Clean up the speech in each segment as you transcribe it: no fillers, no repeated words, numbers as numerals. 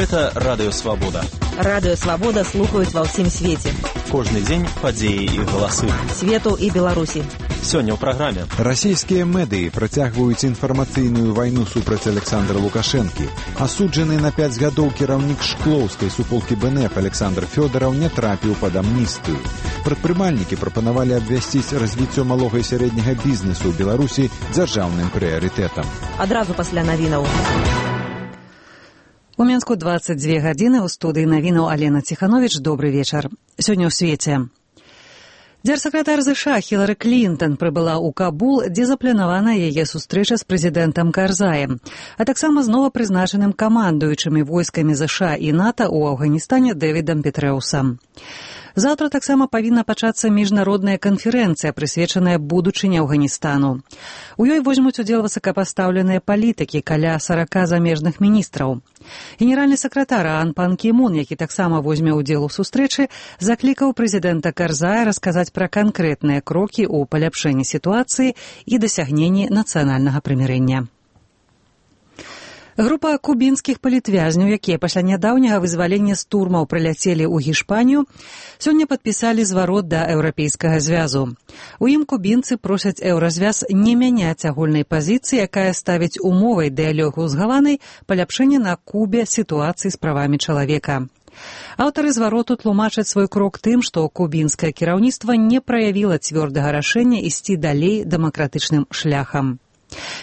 Гэта Радыё Свабода. Радыё Свабода слухаюць ва ўсім свеце. Кожны дзень падзеі і галасы. Свету і Беларусі. Сёння ў праграме. Расійскія медыі працягваюць інфармацыйную вайну супраць Александра Лукашэнкі. Асуджаны на 5 гадоў кіраўнік шклоўскай суполкі БНФ Александр Фёдараў не трапіў пад амністыю. Прадпрымальнікі прапанавалі абвясціць развіццё малога і сярэдняга бізнесу ў Беларусі дзяржаўным прыярытэтам. Адразу пасля навінаў. У Мінску 22 гадзіны, у студыі навінаў Алена Ціхановіч. Добры вечар. Сёння ў свеце. Дзяржсакратар ЗША Хілары Клінтон прыбыла ў Кабул, дзе запланавана яе сустрэча з прэзідэнтам Карзаем, а таксама з новапрызначаным камандуючымі войскамі ЗША і НАТО ў Афганістане Дэвідам Петрэусам. Заўтра таксама павінна пачацца міжнародная канферэнцыя, прысвечаная будучыні Афганістану. У ёй возьмуць удзел высокапастаўленыя палітыкі, каля 40 замежных міністраў. Генеральны сакратар Ан Пан Кі Мун, які таксама возьме ўдзел у сустрэчы, заклікаў прэзідэнта Карзая расказаць пра канкрэтныя крокі ў паляпшэнні сітуацыі і дасягненні нацыянальнага прымірэння. Група кубінскіх палітвязняў, якія пасля нядаўняга вызвалення з турмаў прыляцелі ў Гішпанію, сёння падпісалі зварот да Еўрапейскага звязу. У ім кубінцы просяць Еўразвяз не мяняць агульнай пазіцыі, якая ставіць умовай дыялогу з Гаванай паляпшэнне на Кубе сітуацыі з правамі чалавека. Аўтары звароту тлумачаць свой крок тым, што кубінскае кіраўніцтва не праявіла цвёрдага рашэння ісці далей дэмакратычным шляхам.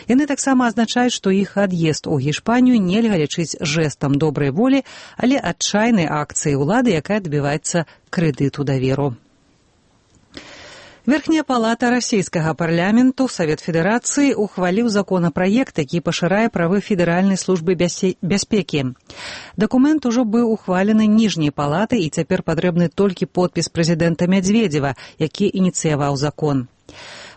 Яны таксама азначаюць, што іх ад'езд у Гішпанію нельга лічыць жэстам добрай волі, але адчайнай акцыяй улады, якая дабіваецца крэдыту даверу. Верхняя палата расійскага парламенту, Савет Федэрацыі, ухваліў законапраект, які пашырае правы Федэральнай службы бяспекі. Дакумент ужо быў ухвалены ніжняй палатай і цяпер патрэбны толькі подпіс прэзідэнта Мядзведзева, які ініцыяваў закон.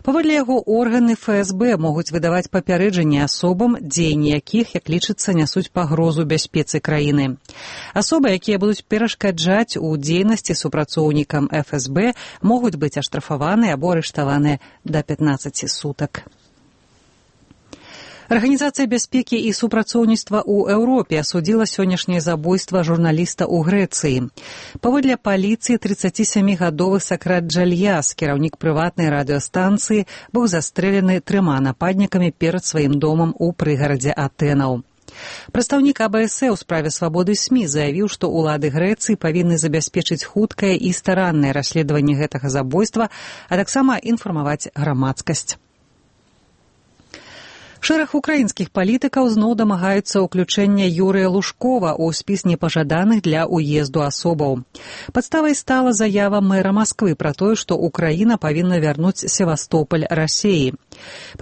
Паводле яго органы ФСБ могуць выдаваць папярэджанні асобам, дзеянні якіх, як лічыцца, нясуць пагрозу бяспецы краіны. Асобы, якія будуць перашкаджаць у дзейнасці супрацоўнікам ФСБ, могуць быць аштрафаваны або арыштаваны да 15 сутак. Арганізацыя бяспекі і супрацоўніцтва ў Еўропе асудзіла сённяшняе забойства журналіста ў Грэцыі. Паводле паліцыі, 37-гадовы Сакрат Джальяс, кіраўнік прыватнай радыёстанцыі, быў застрэлены 3 нападнікамі перад сваім домам у прыгарадзе Атэнаў. Прадстаўнік АБС у справе свабоды СМІ заявіў, што ўлады Грэцыі павінны забяспечыць хуткае і стараннае расследаванне гэтага забойства, а таксама інфармаваць грамадскасць. Шэраг украінскіх палітыкаў зноў дамагаюцца ўключэння Юрыя Лужкова ў спіс непажаданых для ўезду асобаў. Падставай стала заява мэра Масквы пра тое, што Украіна павінна вярнуць Севастополь Расіі.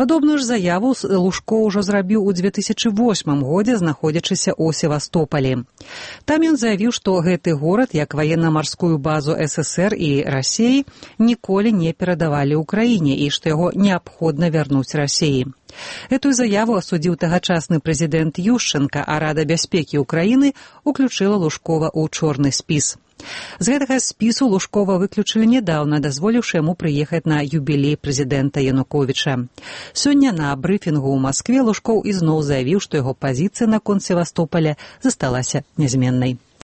Падобную ж заяву Лужко ўжо зрабіў у 2008 годзе, знаходзячыся ў Севастополі. Там ён заявіў, што гэты горад, як ваенна-марскую базу СССР і Расіі, ніколі не перадавалі Украіне і што яго неабходна вярнуць Расіі. Эту заяву асудзіў тагачасны прэзідэнт Ющенка, а Рада бяспекі Украіны уключыла Лужкова ў чорны спіс. З гэтага спісу Лужкова выключылі нядаўна, дазволіўшы яму прыехаць на юбілей прэзідэнта Януковіча. Сёння на брыфінгу ў Маскве Лужкоў ізноў заявіў, што яго пазіцыя наконт Севастополя засталася нязменнай.